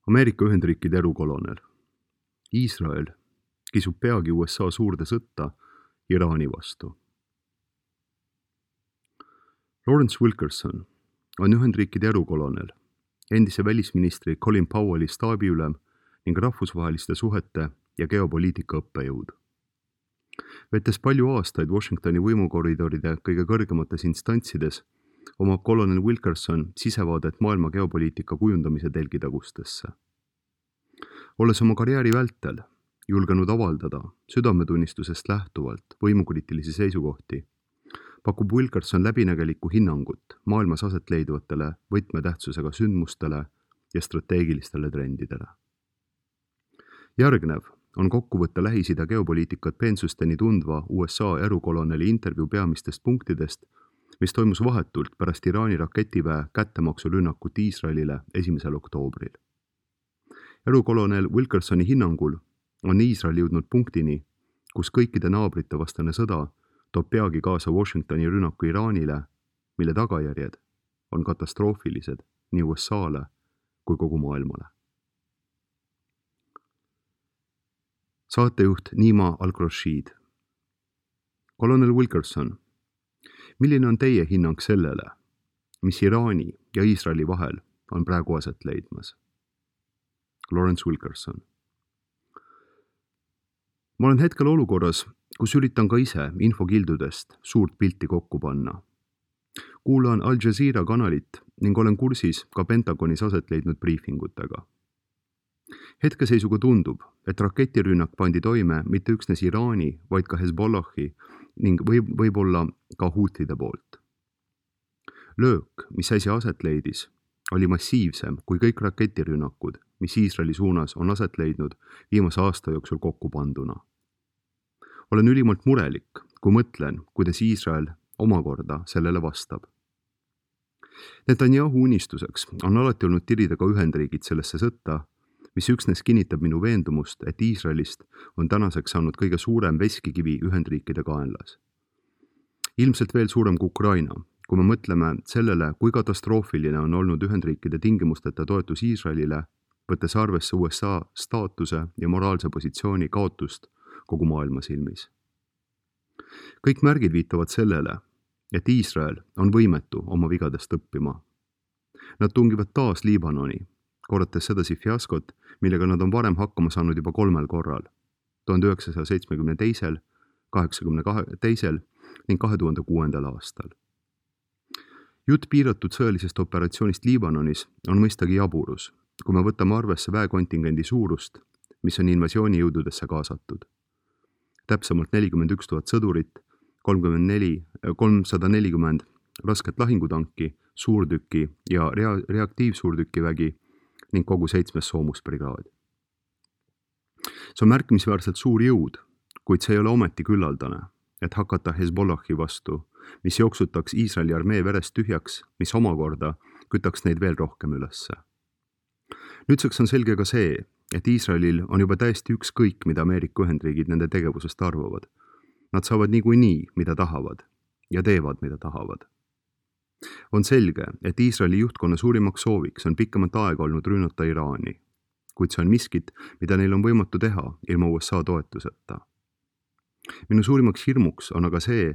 Ameerika Ühendriikide erukolonel. Iisrael kisub peagi USA suurde sõtta Iraani vastu. Lawrence Wilkerson on Ühendriikide erukolonel, endise välisministri Colin Powelli staabiülem ning rahvusvaheliste suhete ja geopoliitika õppejõud. Vettes palju aastaid Washingtoni võimukoridoride kõige kõrgemates instantsides, omab kolonel Wilkerson sisevaadet maailma geopoliitika kujundamise telgitagustesse. Olles oma karjääri vältel julgenud avaldada südametunnistusest lähtuvalt võimukriitilisi seisukohti, pakub Wilkerson läbinägelikku hinnangut maailmas aset leidvatele võtmetähtsusega sündmustele ja strateegilistele trendidele. Järgnev on kokkuvõtte Lähis-Ida geopoliitikat peensusteni tundva USA erukoloneli intervjuu peamistest punktidest, mis toimus vahetult pärast Iraani raketiväe kättemaksurünnakut Iisraelile 1. oktoobril. Erukolonel Wilkersoni hinnangul on Iisrael jõudnud punktini, kus kõikide naabrite vastane sõda toob peagi kaasa Washingtoni rünnaku Iraanile, mille tagajärjed on katastroofilised nii USA-le kui kogu maailmale. Saatejuht Nima Al-Rashid. Kolonel Wilkerson, milline on teie hinnang sellele, mis Iraani ja Iisraeli vahel on praegu aset leidmas? Lawrence Wilkerson. Ma olen hetkel olukorras, kus üritan ka ise infokildudest suurt pilti kokku panna. Kuulan Al Jazeera kanalit ning olen kursis ka Pentagonis aset leidnud briifingutega. Hetkeseisuga tundub, et raketirünnak pandi toime mitte üksnes Iraani, vaid ka Hezbollahi ning võib-olla ka huutide poolt. Löök, mis äsja aset leidis, oli massiivsem kui kõik raketirünnakud, mis Iisraeli suunas on aset leidnud viimase aasta jooksul kokku panduna. Olen ülimalt murelik, kui mõtlen, kuidas Iisrael omakorda sellele vastab. Netanyahu unistuseks on alati olnud tirida ka Ühendriigid sellesse sõtta, mis üksnes kinnitab minu veendumust, et Iisraelist on tänaseks saanud kõige suurem veskikivi Ühendriikide kaenlas. Ilmselt veel suurem kui Ukraina, kui me mõtleme sellele, kui katastroofiline on olnud Ühendriikide tingimusteta toetus Iisraelile, võttes arvesse USA staatuse ja moraalse positsiooni kaotust kogu maailma silmis. Kõik märgid viitavad sellele, et Iisrael on võimetu oma vigadest õppima. Nad tungivad taas Liibanoni, korrates sedasi fiaskot, millega nad on varem hakkama saanud juba 3 korral, 1972, 1982 ning 2006. aastal. Jutt piiratud sõjalisest operatsioonist Liibanonis on mõistagi jaburus, kui me võtame arvesse väekontingendi suurust, mis on invasioonijõududesse kaasatud. Täpsemalt 41 000 sõdurit, 340 rasket lahingutanki, suurtüki ja reaktiivsuurtükivägi ning kogu 7. soomusbrigaad. See on märkimisväärselt suur jõud, kuid see ei ole ometi küllaldane, et hakata Hezbollahi vastu, mis jooksutaks Iisraeli armee verest tühjaks, mis omakorda kütaks neid veel rohkem ülesse. Nüüdseks on selge ka see, et Iisraelil on juba täiesti ükskõik, mida Ameerika Ühendriigid nende tegevusest arvavad. Nad saavad niikuinii, mida tahavad ja teevad, mida tahavad. On selge, et Iisraeli juhtkonna suurimaks sooviks on pikemat aega olnud rünnata Iraani, kuid see on miskit, mida neil on võimatu teha ilma USA toetuseta. Minu suurimaks hirmuks on aga see,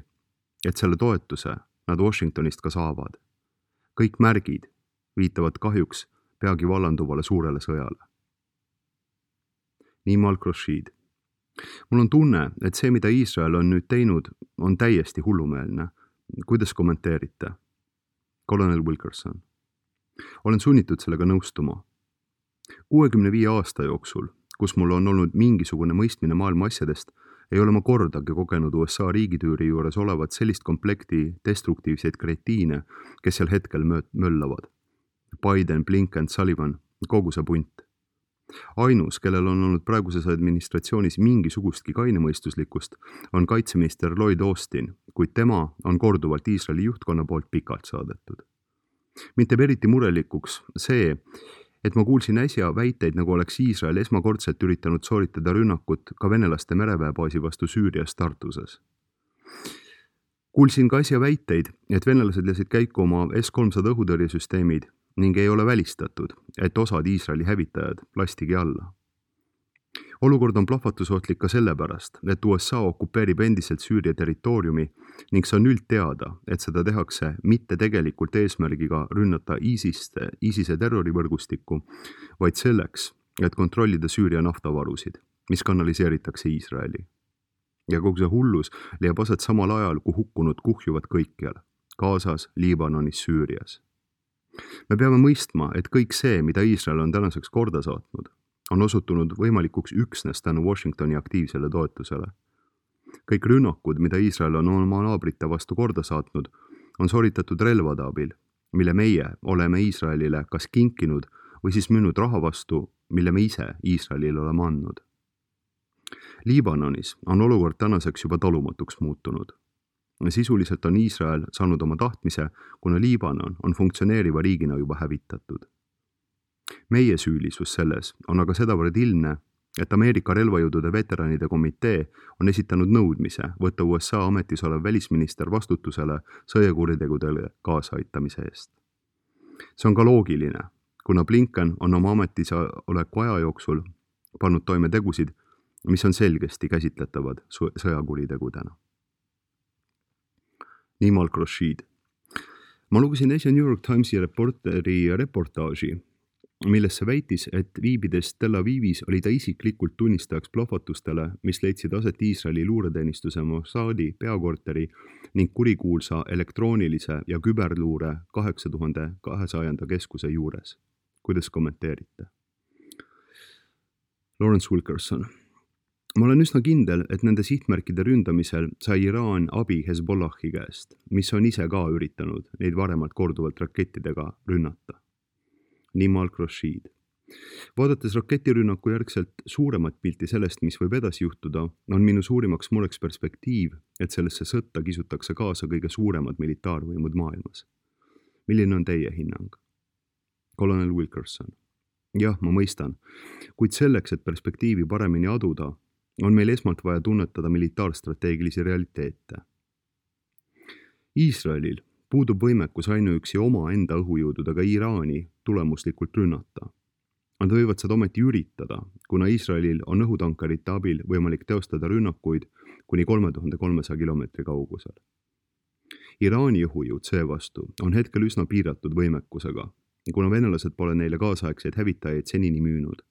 et selle toetuse nad Washingtonist ka saavad. Kõik märgid viitavad kahjuks peagi vallanduvale suurele sõjale. Nima Al-Rashid. Mul on tunne, et see, mida Iisrael on nüüd teinud, on täiesti hullumeelne. Kuidas kommenteerite? Kolonel Wilkerson. Olen sunnitud sellega nõustuma. 65 aasta jooksul, kus mul on olnud mingisugune mõistmine maailma asjadest, ei ole ma kordagi kogenud USA riigitüüri juures olevat sellist komplekti destruktiivseid kretiine, kes seal hetkel möllavad. Biden, Blinken, Sullivan, kogu see punt. Ainus, kellel on olnud praeguses administratsioonis mingisugustki kainemõistuslikkust, on kaitseminister Lloyd Austin, kuid tema on korduvalt Iisraeli juhtkonna poolt pikalt saadetud. Mind teeb eriti murelikuks see, et ma kuulsin äsja väiteid, nagu oleks Iisrael esmakordselt üritanud sooritada rünnakut ka venelaste mereväebaasi vastu Süürias Tartuses. Kuulsin ka äsja väiteid, et venelased lasid käiku oma S-300 õhutõrjesüsteemid ning ei ole välistatud, et osad Iisraeli hävitajad lastigi alla. Olukord on plahvatusohtlik ka sellepärast, et USA okupeerib endiselt Süüria territooriumi ning see on üldteada, et seda tehakse mitte tegelikult eesmärgiga rünnata ISISe terrorivõrgustikku, vaid selleks, et kontrollida Süüria naftavarusid, mis kanaliseeritakse Iisraeli. Ja kogu see hullus leiab aset samal ajal, kui hukkunud kuhjuvad kõikjal, Gazas, Liibanonis, Süürias. Me peame mõistma, et kõik see, mida Iisrael on tänaseks korda saatnud, on osutunud võimalikuks üksnes tänu Washingtoni aktiivsele toetusele. Kõik rünnakud, mida Iisrael on oma naabrite vastu korda saatnud, on sooritatud relvade abil, mille meie oleme Iisraelile kas kinkinud või siis müünud raha vastu, mille me ise Iisraelile oleme andnud. Liibanonis on olukord tänaseks juba talumatuks muutunud. Sisuliselt on Iisrael saanud oma tahtmise, kuna Liibanon on funktsioneeriva riigina juba hävitatud. Meie süülisus selles on aga sedavõrd ilmne, et Ameerika relvajõudude veteranide komitee on esitanud nõudmise võtta USA ametis olev välisminister vastutusele sõjakuritegudele kaasaaitamise eest. See on ka loogiline, kuna Blinken on oma ametis oleku aja jooksul pannud toime tegusid, mis on selgesti käsitletavad sõjakuritegudena. Nimal Khorshid. Ma lugesin äsja New York Timesi reportaaži, millesse väitis, et viibides Tel Avivis oli ta isiklikult tunnistajaks plahvatustele, mis leidsid aset Iisraeli luureteenistuse Mossadi peakorteri ning kurikuulsa elektroonilise ja küberluure 8200 keskuse juures. Kuidas kommenteerite? Lawrence Wilkerson. Ma olen üsna kindel, et nende sihtmärkide ründamisel sai Iraan abi Hezbollahi käest, mis on ise ka üritanud neid varemalt korduvalt rakettidega rünnata. Nimal Khorshid. Vaadates raketirünnaku järgselt suuremat pilti sellest, mis võib edasi juhtuda, on minu suurimaks mureks perspektiiv, et sellesse sõtta kisutakse kaasa kõige suuremad militaarvõimud maailmas. Milline on teie hinnang? Kolonel Wilkerson. Jah, ma mõistan, kuid selleks, et perspektiivi paremini aduda, on meil esmalt vaja tunnetada militaarstrateegilisi realiteete. Iisraelil puudub võimekus ainuüksi oma enda õhujõududega Iraani tulemuslikult rünnata. Nad võivad seda ometi üritada, kuna Iisraelil on õhutankerite abil võimalik teostada rünnakuid kuni 3300 kilomeetri kaugusel. Iraani õhujõud seevastu on hetkel üsna piiratud võimekusega, kuna venelased pole neile kaasaegseid hävitajaid senini müünud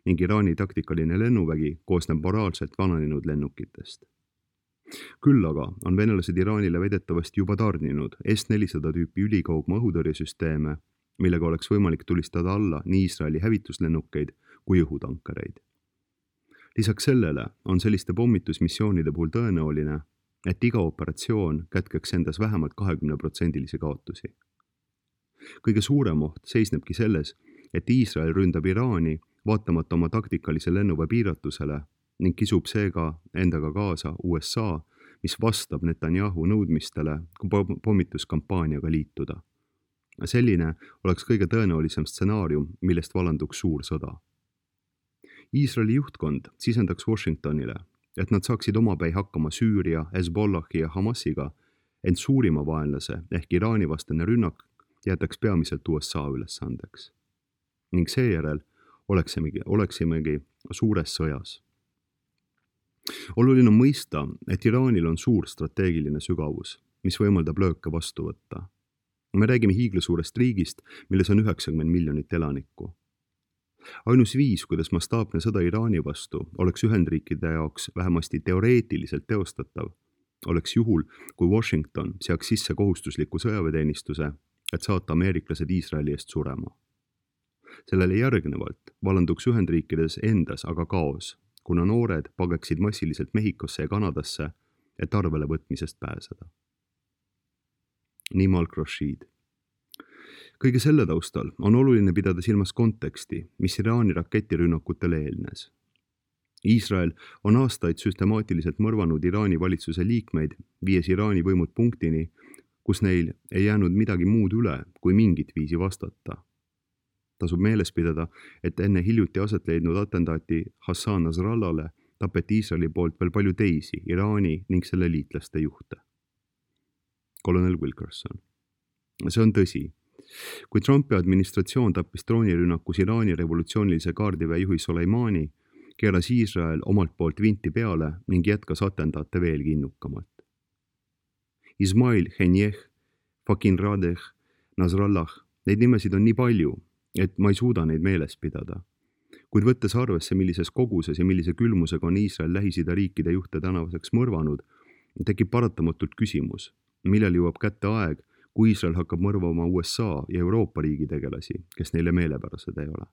ning Iraani taktikaline lennuvägi koosneb moraalselt vananenud lennukitest. Küll aga on venelased Iraanile väidetavasti juba tarninud S-400 tüüpi ülikaugma õhutõrjesüsteeme, millega oleks võimalik tulistada alla nii Iisraeli hävituslennukeid kui õhutankereid. Lisaks sellele on selliste pommitusmissioonide puhul tõenäoline, et iga operatsioon kätkeks endas vähemalt 20% kaotusi. Kõige suurem oht seisnebki selles, et Iisrael ründab Iraani vaatamata oma taktikalise lennuväe piiratusele ning kisub seega endaga kaasa USA, mis vastab Netanyahu nõudmistele pommituskampaaniaga liituda. Selline oleks kõige tõenäolisem stsenaarium, millest valanduks suur sõda. Iisraeli juhtkond sisendaks Washingtonile, et nad saaksid omapäi hakkama Süüria, Hezbollahi ja Hamasiga, ent suurima vaenlase ehk Iraani vastane rünnak jätaks peamiselt USA ülesandeks. Ning seejärel oleksimegi suures sõjas. Oluline on mõista, et Iraanil on suur strateegiline sügavus, mis võimaldab lööke vastu võtta. Me räägime hiiglasuurest riigist, milles on 90 miljonit elanikku. Ainus viis, kuidas mastaapne sõda Iraani vastu oleks Ühendriikide jaoks vähemasti teoreetiliselt teostatav, oleks juhul, kui Washington seaks sisse kohustusliku sõjaväeteenistuse, et saata ameeriklased Iisraeli eest surema. Sellele järgnevalt valanduks Ühendriikides endas aga kaos, kuna noored pageksid massiliselt Mehhikosse ja Kanadasse, et arvele võtmisest pääseda. Nimal Khorshid. Kõige selle taustal on oluline pidada silmas konteksti, mis Iraani raketirünnakutele eelnes. Iisrael on aastaid süstemaatiliselt mõrvanud Iraani valitsuse liikmeid, viies Iraani võimud punktini, kus neil ei jäänud midagi muud üle, kui mingit viisi vastata. Tasub meeles pidada, et enne hiljuti aset leidnud atentaati Hassan Nasrallale tapeti Iisraeli poolt veel palju teisi Iraani ning selle liitlaste juhte. Kolonel Wilkerson. See on tõsi, Kui Trumpi administratsioon tappis droonirünnakus Iraani revolutsioonilise kaardiväe juhi Soleimani, keeras Iisrael omalt poolt vinti peale ning jätkas atendaate veelgi innukamalt. Ismail Haniyeh, Fakin Radeh, Nasrallah, neid nimesid on nii palju, et ma ei suuda neid meeles pidada. Kuid võttes arvesse, millises koguses ja millise külmusega on Iisrael Lähis-Ida riikide juhte tänavaseks mõrvanud, tekib paratamatult küsimus, millal jõuab kätte aeg, kui Iisrael hakkab mõrvama USA ja Euroopa riigi tegelasi, kes neile meelepärased ei ole.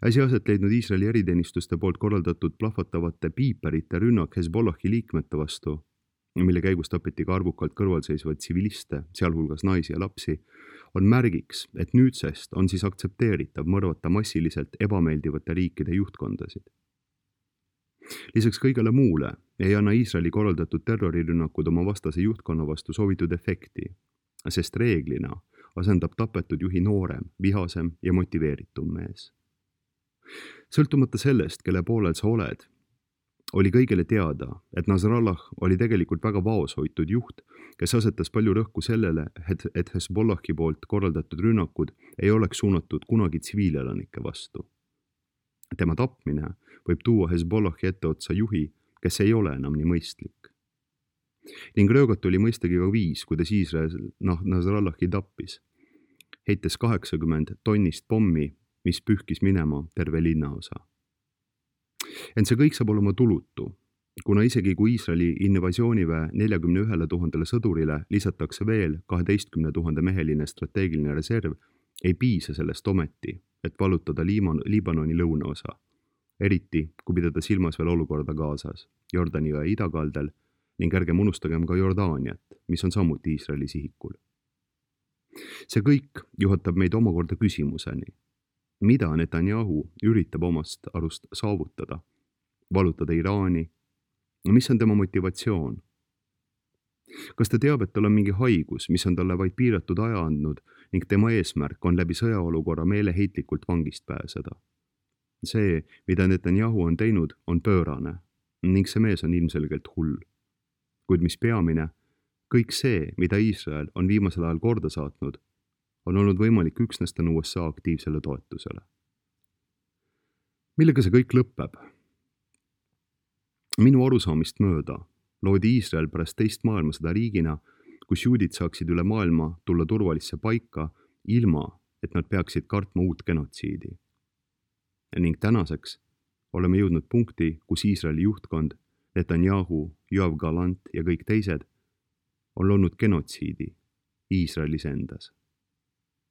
Äsja aset leidnud Iisraeli eriteenistuste poolt korraldatud plahvatavate piiperite rünnak Hezbollahi liikmete vastu, mille käigus tapeti ka arvukalt kõrvalseisvaid tsiviliste, sealhulgas naisi ja lapsi, on märgiks, et nüüdsest on siis aktsepteeritav mõrvata massiliselt ebameeldivate riikide juhtkondasid. Lisaks kõigele muule ei anna Iisraeli korraldatud terrorirünnakud oma vastase juhtkonna vastu soovitud efekti, sest reeglina asendab tapetud juhi noorem, vihasem ja motiveeritum mees. Sõltumata sellest, kelle poolel sa oled, oli kõigile teada, et Nasrallah oli tegelikult väga vaoshoitud juht, kes asetas palju rõhku sellele, et Hezbollahi poolt korraldatud rünnakud ei oleks suunatud kunagi tsiviilelanike vastu. Tema tapmine võib tuua Hezbollahi etteotsa juhi, kes ei ole enam nii mõistlik. Ning röögat oli mõistagi ka viis, kuidas Iisrael Nasrallahi tappis, heites 80 tonnist pommi, mis pühkis minema terve linnaosa. Ent see kõik saab olema tulutu, kuna isegi kui Iisraeli invasiooniväe 41 000 sõdurile lisatakse veel 12 000 meheline strateegiline reserv, ei piisa sellest ometi, et vallutada Liibanoni lõunaosa, eriti kui pidada silmas veel olukorda Gazas, Jordani jõe idakaldel ning ärgem unustagem ka Jordaaniat, mis on samuti Iisraeli sihikul. See kõik juhatab meid omakorda küsimuseni, mida Netanyahu üritab omast arust saavutada, vallutada Iraani ja mis on tema motivatsioon? Kas ta teab, et tal on mingi haigus, mis on talle vaid piiratud aja andnud ning tema eesmärk on läbi sõjaolukorra meeleheitlikult vangist pääseda? See, mida Netanyahu on teinud, on pöörane ning see mees on ilmselgelt hull. Kuid mis peamine, kõik see, mida Iisrael on viimasel ajal korda saatnud, on olnud võimalik üksnes tänu USA aktiivsele toetusele. Millega see kõik lõpeb? Minu arusaamist mööda loodi Iisrael pärast teist maailmasõda riigina, kus juudid saaksid üle maailma tulla turvalisse paika, ilma, et nad peaksid kartma uut genotsiidi. Ning tänaseks oleme jõudnud punkti, kus Iisraeli juhtkond, Netanyahu, Yoav Gallant ja kõik teised on loonud genotsiidi Iisraelis endas.